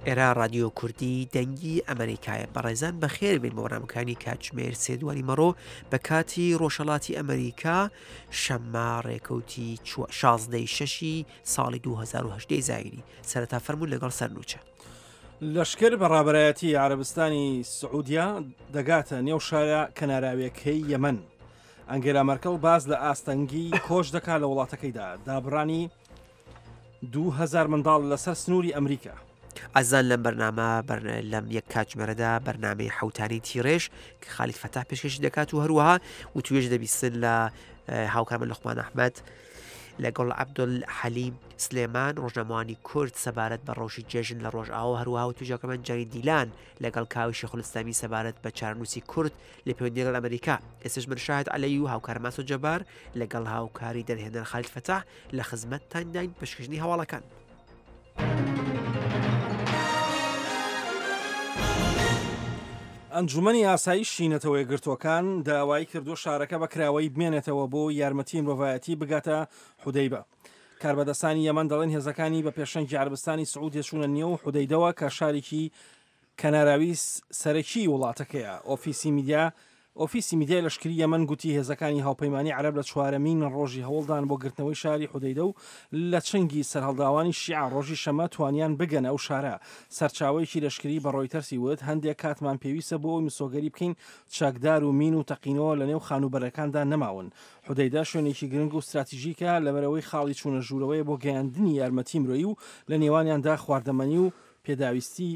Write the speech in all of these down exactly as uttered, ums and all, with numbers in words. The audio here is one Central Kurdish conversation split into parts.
ئێرە ڕادیۆ کوردی دەنگی ئەمریکایە. بەڕێزان بەخێر بێن بۆ بەرنامەکانی کاتژمێر سێ دوانی مەڕۆ بە کاتی ڕۆژهەڵاتی ئەمریکا، شەممە ڕێکەوتی شازدەی شەشی ساڵی دوو هەزار و هەژدە زایینی. سەرەتا فەرموون لەگەڵ سەرنوچە. لەشکر بە ڕابەرایەتی عەرەبستانی سعودیا دەگاتە نێو شارە کەناراویەکەی یەمەن. ئەنگێلا مەرکڵ باز لە ئاستەنگی کۆچ دەکات لە وڵاتەکەیدا، دابڕانی دوو هەزار منداڵ لەسەر سنووری ئەمریکا. ئازان لەم بەرنامە لەم یەک کاتژمێرەدا بەرنامەی حوتانی تیڕێژ کە خالید فەتاح پێشکەشی دەکات و هەروەها وتوێژ دەبیستن لە هاوکارمە لوقمان ئەحمەد لەگەڵ عەبدول حەلیم سلێمان ڕۆژنامەوانی کورد سەبارەت بە ڕەوشی جێژن لە ڕۆژئاوا، هەروەها وتوێژەکەمان جانی دیلان لەگەڵ کاوی شێخولئیسلامی سەبارەت بە چارەنووسی کورد لە پەیوەندی لەگەڵ ئەمریکا. ئێستاش من شاهد عەلەی و هاوکار ماسۆ جەبار لەگەڵ هاوکاری دەرهێنەر خالید فەتاح لە خزمەتتانداین پێشکەشکردنی هەواڵەکان. ئەنجومەنی ئاسایشی نەتەوە یەکگرتووەکان داوای کردووە شارەکە بە کراوەیی بمێنێتەوە بۆ یارمەتی مرۆڤایەتی بگاتە حودەیبە. کاربەدەستانی یەمەن دەڵێن هێزەکانی بە پێشەنگی عەرەبستانی سعودیە چوونە نێو حودەیدەوە کە شارێکی کەناراوی سەرەکی وڵاتەکەیە. ئۆفیسی میدیا ئۆفیسی میدیای لەشکری یەمەن گوتی هێزەکانی هاوپەیمانی عەرەب لە چوارەمین ڕۆژی هەوڵدان بۆ گرتنەوەی شاری حودەیدە و لە چنگی سەرهەڵداوانی شیعە ڕۆژی شەمە توانیان بگەن ئەو شارە. سەرچاوەیەکی لەشکری بە ڕۆیتەرسی وت هەندێک کاتمان پێویستە بۆ ئەوەی مسۆگەری بکەین چەکدار و مین و تەقینەوە لە نێو خانووبەرەکاندا نەماون. حودەیدە شوێنێکی گرنگ و ستراتیژیکە لەبەرەوەی خاڵی چوونە ژوورەوەیە بۆ گەیاندنی یارمەتی مرۆیی و لە نێوانیاندا خواردەمەنی و پێداویستی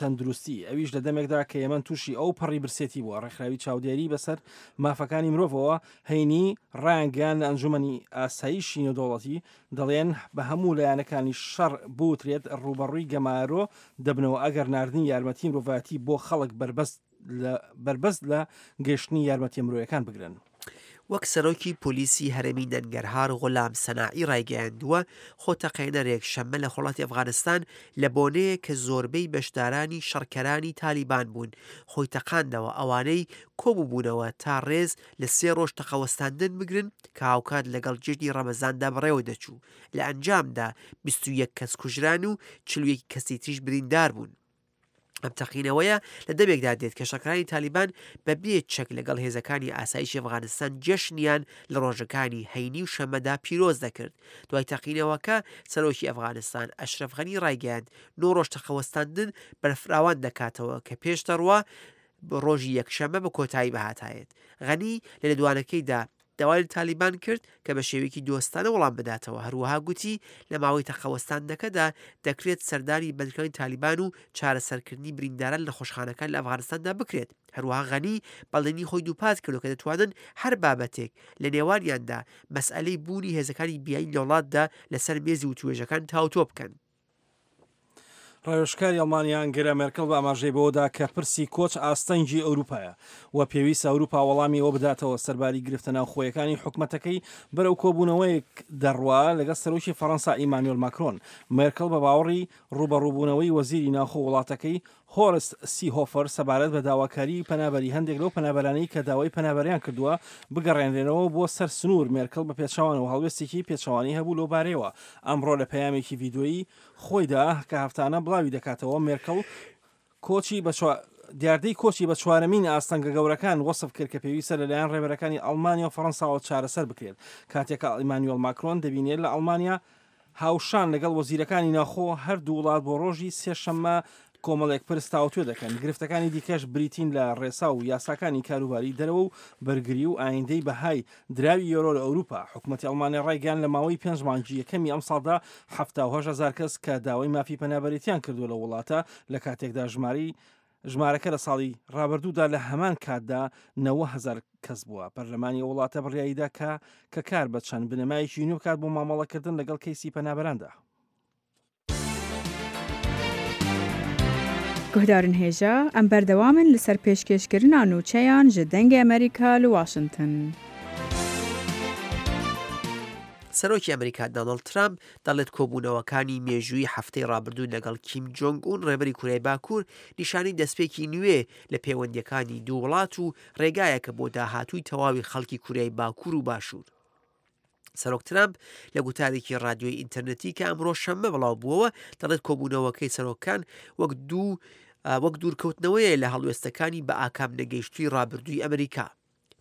تەندروستی، ئەویش لە دەمێکدا کە یەمەن تووشی ئەو پەڕی برسێتی بووە. ڕێکخراوی چاودێری بەسەر مافەکانی مرۆڤەوە هەینی ڕایانگەیان لە ئەنجومەنی ئاسایشی نێودەوڵەتی دەڵێن بە هەموو لایەنەکانی شەڕ بوترێت ڕووبەڕووی گەمارۆ دەبنەوە ئەگەر ناردنی یارمەتی مرۆڤایەتی بۆ خەڵک بەربەست لە گەشتنی یارمەتی مرۆیەکان بگرن. وەک سەرۆکی پۆلیسی هەرێمی نەنگەرهار غۆلام سەناعی ڕایگەیاندووە، خۆتەقێنەرێک شەممە لە خۆڵاتی ئەفغانستان لە بۆنەیە کە زۆربەی بەشدارانی شەڕکەرانی تالیبان بوون خۆی تەقاندەوە، ئەوانەی کۆبووبوونەوە تا ڕێز لە سێ ڕۆژ تەقەوەستاندن بگرن کە هاوکات لەگەڵ جێژنی ڕەمەزاندا بەڕێوە دەچوو. لە ئەنجامدا بیست و یەک کەس کوژران و چل و یەک کەسی تریش بریندار بوون. ئەم تەقینەوەیە لە دەمێکدا دێت کە شەڕکەرانی تالیبان بە بێ چەک لەگەڵ هێزەکانی ئاسایشی ئەفغانستان جەشنیان لە ڕۆژەکانی هەینی و شەمەدا پیرۆز دەکرد. دوای تەقینەوەکە سەرۆکی ئەفغانستان ئەشرەف غەنی ڕایگەیاند نۆ ڕۆژ تەقەوەستاندن بەرفراوان دەکاتەوە کە پێش دەڕوا ڕۆژی یەکشەمە بە کۆتایی بەهاتایێت. غەنی لە لێدوانەکەیدا داوای لە تالیبان کرد کە بە شێوەیەکی دۆستانە وەڵام بداتەوە. هەروەها گوتی لە ماوەی تەقەوەستاندنەکەدا دەکرێت سەردانی بەندکراوانی تالیبان و چارەسەرکردنی برینداران لە نەخۆشخانەکان لە ئەفغانستاندا بکرێت. هەروەها غەنی بەڵێنی خۆی دووپات کردو کە دەتوانن هەر بابەتێک لە نێوانیاندا مەسئلەی بوونی هێزەکانی بیانی لە وڵاتدا لەسەر مێزی وتوێژەکان تاوتۆ بکەن. ڕاوێژکاری ئەڵمانیا ئەنگێلا مێرکڵ بە ئاماژەی بەوەدا کە پرسی کۆچ ئاستەنگی ئەوروپایە و پێویستە ئەوروپا وەڵامی ئەوە بداتەوە سەرباری گرفتە ناوخۆیەکانی حکومەتەکەی بەرەو کۆبوونەوەیەک دەڕوا لەگەڵ سەرۆکی فەڕەنسا ئیمانوێل ماکرۆن. مێرکڵ بە باوەڕی ڕووبەڕووبوونەوەی وەزیری ناوخۆ وڵاتەکەی هۆرست سیهۆفەر سەبارەت بە داواکاری پەنابەری هەندێک لەو پەنابەرانەی کە داوای پەنابەریان کردووە بگەڕێنرێنەوە بۆ سەر سنوور، مێرکڵ بە پێچەوانەوە هەڵوێستێکی پێچەوانەی هەبوو لەو بارەیەوە. ئەمڕۆ لە پەیامێکی ڤیدیۆیی خۆیدا کە هەفتانە بڵاوی دەکاتەوە، مێرکڵ کۆچی بە دیاردەی کۆچی بە چوارەمین ئاستەنگە گەورەکان وەسف کرد کە پێویستە لەلایەن ڕێبەرەکانی ئەڵمانیا و فەڕەنساوە چارەسەر بکرێت. کاتێک ئیمانوێل ماکرۆن دەبینێت لە ئەڵمانیا هاوشان لەگەڵ وەزیرەکانی ناخۆ هەردوو وڵات بۆ ڕۆژی سێشەممە کۆمەڵێک پرس تاوتوێ دەکەن. گرفتەکانی دیکەش بریتین لە ڕێسا و یاساکانی کاروباری دەرەوە و بەرگری و ئایندەی بەهای دراوی یۆرۆ لە ئەوروپا. حکوومەتی ئەڵمانیا ڕایگەیاند لە ماوەی پێنج مانگی یەکەمی ئەمساڵدا حەفتا و هەشت هەزار کەس کە داوای مافی پەنابەرێتیان کردووە لە وڵاتە، لە کاتێکدا ژمارەی ژمارەکە لە ساڵی ڕابردوودا لە هەمان کاتدا نەوە هەزار کەس بووە. پەرلەمانی وڵاتە بڕیاریدا کە کە کار بە چەند بنەمایەکی نوێ بکات بۆ مامەڵەکردن لەگەڵ کەیسی پەنابەراندا. گوهدارن هێژا ئەم بەردەوامن لەسەر پێشکێشکردنا نوچەیان ji دەنگê ئەمریکا li واشنگتن. سەرۆکی ئەمریکا دۆناڵد ترامپ دەڵێت کۆبوونەوەکانی مێژووی هەفتەی ڕابردوو لەگەڵ کیم جۆنگ ئون ڕێبەری کوریای باکوور نیشانەی دەستپێکی نوێ لە پەیوەندیەکانی دوو وڵات و ڕێگایەکە بۆ داهاتووی تەواوی خەڵکی کوریای باکوور و باشوور. سەرۆک ترامپ لە گوتارێکی ڕادیۆی ئینتەرنێتی کە ئەمڕۆ شەممە بڵاو بووەوە دەڵێت کۆبوونەوەکەی سەرۆکان وەک دوو وەک دوورکەوتنەوەیە لە هەڵوێستەکانی بە ئاکام نەگەیشتووی ڕابردووی ئەمریکا.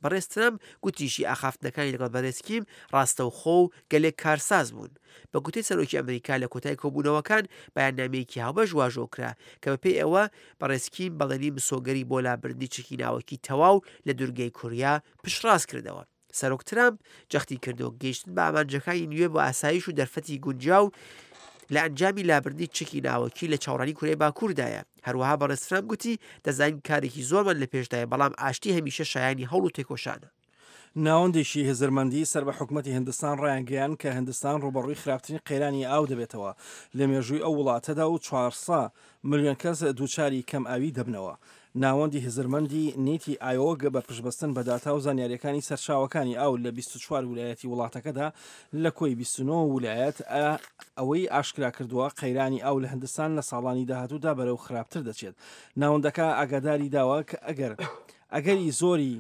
بەڕێز ترامپ گوتیشی ئاخافتنەکانی لەگەڵ بەڕێز کیم ڕاستەوخۆ و گەلێک کارساز بوون. بە گوتەی سەرۆکی ئەمریکا لە کۆتای کۆبوونەوەکان بەیاننامەیەکی هاوبەش واژۆ کرا کە بەپێی ئەوە بەڕێز کیم بەڵێنی مسۆگەری بۆ لابردنی چەکی ناوەکی تەواو لە دوورگەی کوریا پشتڕاست کردەوە. سەرۆک ترامپ جەختی کردەوە گەیشتن بە ئامانجەکانی نوێ بۆ ئاسایش و دەرفەتی گونجاو لە ئەنجامی لابردنی چەکی ناوەکی لە چاوەڕوانی کوریای باکووردایە. هەروەها بەڕێز ترامپ گوتی دەزانین کارێکی زۆرمان لە پێشدایە، بەڵام ئاشتی هەمیشە شایانی هەوڵ و تێکۆشانە. ناوەندێکی هزرمەندی سەر بە حکومەتی هندستان ڕایانگەیاند کە هندستان ڕووبەڕووی خراپترین قەیرانی ئاو دەبێتەوە لە مێژووی ئەو وڵاتەدا و چوار سەد ملیۆن کەس دووچاری کەم ئاوی دەبنەوە. ناوەندی هزرمەندی نیتی ئایۆگ بە پشتبەستن بە داتا و زانیاریەکانی سەرچاوەکانی ئاو لە بیست و چوار ولایەتی وڵاتەکەدا لە کۆی بیست و نۆ ولایەت ئەوەی ئاشکرا کردووە قەیرانی ئاو لە هندستان لە ساڵانی داهاتوودا بەرەو خراپتر دەچێت. ناوەندەکە ئاگاداری داوە کە ئەگەر ئەگەری زۆری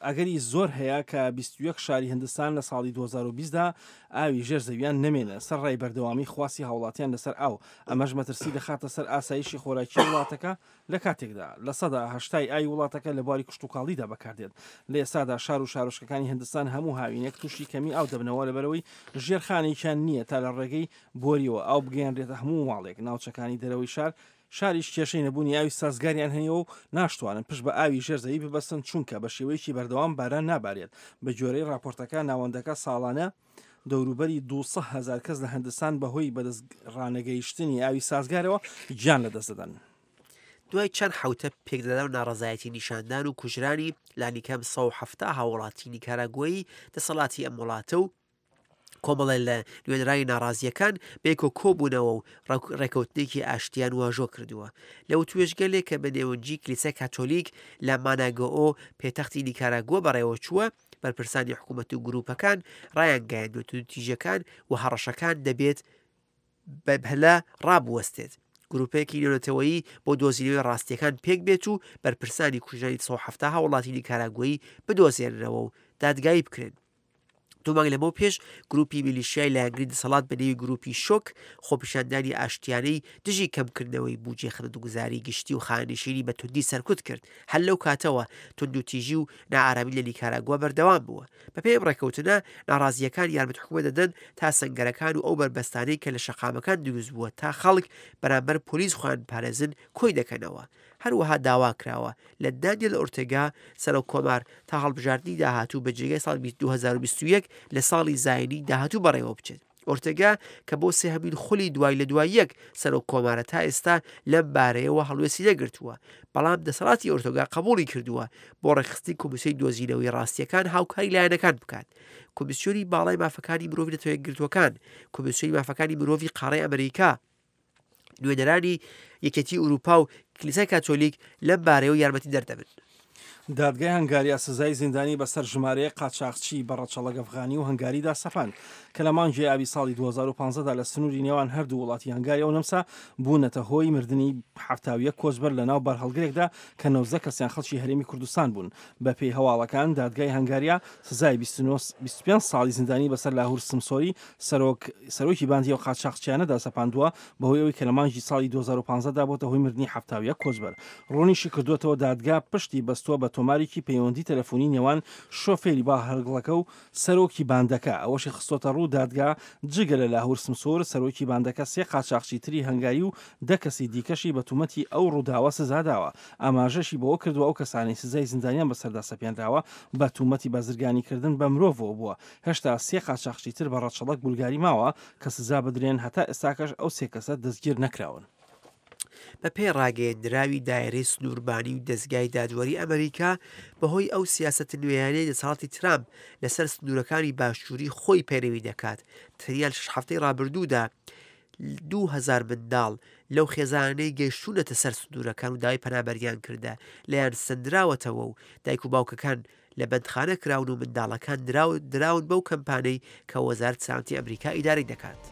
ئەگەری زۆر هەیە کە بیست و یەک شاری هندستان لە ساڵی دوو هەزار و بیست دا ئاوی ژێر زەویان نەمێنە سەر ڕای بەردەوامی خواستی هاوڵاتیان لەسەر ئاو، ئەمەش مەترسی دەخاتە سەر ئاسایشی خۆراکی وڵاتەکە لە کاتێکدا لە سەدا هەشتای ئاوی وڵاتەکە لە بواری کشتوکاڵیدا بەکاردێت. لە ئێستادا شار و شارۆچکەکانی هندستان هەموو هاوینێک تووشی کەمی ئاو دەبنەوە لەبەرەوەی ژێرخانێکیان نییە تا لە ڕێگەی بۆریەوە ئاو بگەیەنرێتە هەموو ماڵێک. ناوچەکانی دەرەوەی شار شاریش کێشەی نەبوونی ئاوی سازگاریان هەیە و ناشتوانن پشت بە ئاوی ژێرزەوی ببەستن چونکە بە شێوەیەکی بەردەوام باران نابارێت. بە گوێرەی راپۆرتەکە ناوەندەکە ساڵانە دەوروبەری دوو سەد هەزار کەس لە هندستان بەهۆی بەدەست ڕانەگەیشتنی ئاوی سازگارەوە گیان لەدەست دەدەن. دوای چەند حوتە پێکدادان و ناڕەزایەتی نیشاندان و کوژرانی لانیکەم سەد و حەفتا هاوڵاتی نیکاراگوایی دەسەڵاتی ئەم وڵاتە و کۆمەڵێ لە نوێنەرانی ناڕازیەکان بێکۆ کۆبوونەوە و ڕێکەوتنێکی ئاشتیان واژۆ کردووە. لە وتوێژگەلێک کە بە نێوەنجی کلیسای کاتۆلیک لە ماناگۆئۆ پێتەختی نیکاراگوە بەڕێوە چووە، بەرپرسانی حکوومەت و گروپەکان ڕایانگەیاندووە توندوتیژیەکان و هەڕەشەکان دەبێت بەپەلە ڕابوەستێت. گروپێکی نێونەتەوەیی بۆ دۆزینەوەی ڕاستیەکان پێک بێت و بەرپرسانی کوژرانی سەد و حەفتا هاوڵاتی نیکاراگوەیی بدۆزێننەوە و دادگایی بکرێن. دوو مانگ لەمەو پێش گروپی میلیشیای لایەنگری دەسەڵات بە نێوی گروپی شۆک خۆپیشاندانی ئاشتیانەی دژی کەمکردنەوەی بودجەی خزمەتگوزاری گشتی و خانەنشینی بە توندی سەرکوت کرد. هەر لەو کاتەوە توندوتیژی و نائارامی لە نیکاراگوا بەردەوام بووە. بەپێی ئەم ڕێککەوتنە ناڕازیەکان یارمەتی حکوومەت دەدەن تا سەنگەرەکان و ئەو بەربەستانەی کە لە شەقامەکان دروست بووە تا خەڵک بەرامبەر پۆلیس خۆیان پارێزن کۆی دەکەنەوە. هەروەها داوا کراوە لە دانیێل ئۆرتێگا سەرۆک کۆمار تا هەڵبژاردنی داهاتوو بە جێگای ساڵی دوو هەزار و بیست و یەک لە ساڵی زایینی داهاتوو بەڕێوە بچێت. ئۆرتێگا کە بۆ سێهەمین خولی دوای لە دوای یەک سەرۆک کۆمارە تا ئێستا لەم بارەیەوە هەڵوێستی نەگرتووە، بەڵام دەسەڵاتی ئۆرتۆگا قبوڵی کردووە بۆ ڕێکخستنی کۆمیسیۆنی دۆزینەوەی ڕاستیەکان هاوکاری لایەنەکان بکات. کۆمیسیۆنی باڵای مافەکانی مرۆڤی نەتەوە یەکگرتووەکان، کۆمیسیۆنی مافەکانی مرۆڤی قاڕەی ئەمریکا، نوێنەرانی یەکێتی ئەوروپا و کلیسای کاتۆلیک لەم بارەیەوە یارمەتی دەردەبن. دادگای هەنگاریا سزای زیندانی بەسەر ژمارەیە قاچاخچی بە ڕەچەڵەک ئەفغانی و هەنگاریدا سەپاند کە لە مانگی ئابی ساڵی دوو هەزار و پازدە دا لە سنووری نێوان هەردوو وڵاتی هەنگاریا و نەمسا بوونەتە هۆی مردنی حەفتا و یەک کۆچبەر لە ناو بارهەڵگرێکدا کە نۆزدە کەسیان خەڵکی هەرێمی کوردستان بوون. بەپێی هەواڵەکان دادگای هەنگاریا سزای بیست و پێنج ساڵی زیندانی بەسەر لاهور سمسۆری سەرۆکی باندی ئەو قاچاخچیانەدا سەپاندووە بەهۆی ئەوەی کە لە مانگی ساڵی دوو هەزار و پازدە دا بۆتە هۆی مردنی حەفتا و یەک کۆچبەر. ڕوونیشی کردووەتەوە دادگا پشتی بەستووە بە تۆمارێکی پەیوەندی تەلەفۆنی نێوان شۆفێری باهەرگڵەکە و سەرۆکی باندەکە. ئەوەشی خستۆتە ڕوو دادگا جگە لە لاهور سمسۆر سەرۆکی باندەکە سێ قاچاخچی تری هەنگاری و دە کەسی دیکەشی بە تومەتی ئەو ڕووداوە سزاداوە. ئاماژەشی بەوە کردووە ئەو کەسانەی سزای زیندانیان بەسەردا سەپێنراوە بە تومەتی بازرگانیکردن بە مرۆڤەوە بووە. هێشتا سێ قاچاخچی تر بە ڕەچەڵەک بولگاری ماوە کە سزا بدرێن، هەتا ئێستاکەش ئەو سێ کەسە دەستگیر نەکراون. بە پێی ڕاگەیەندراوی دایرەی سنووربانی و دەزگای دادوەری ئەمریکا بەهۆی ئەو سیاسەتە نوێیانەی دەسەڵاتی ترامپ لەسەر سنوورەکانی باشووری خۆی پەیرەوی دەکات، تەنیا لە شەش هەفتەی ڕابردوودا دوو هەزار منداڵ لەو خێزانانەی گەیشتوونەتە سەر سنوورەکان و داوای پەنابەریان کردە لێیان سەندراوەتەوە و دایک و باوکەکان لە بەندخانە کراون و منداڵەکان دراون بەو کەمپانەی کە وەزارەت سەلامەتی ئەمریکا ئیدارەی دەکات.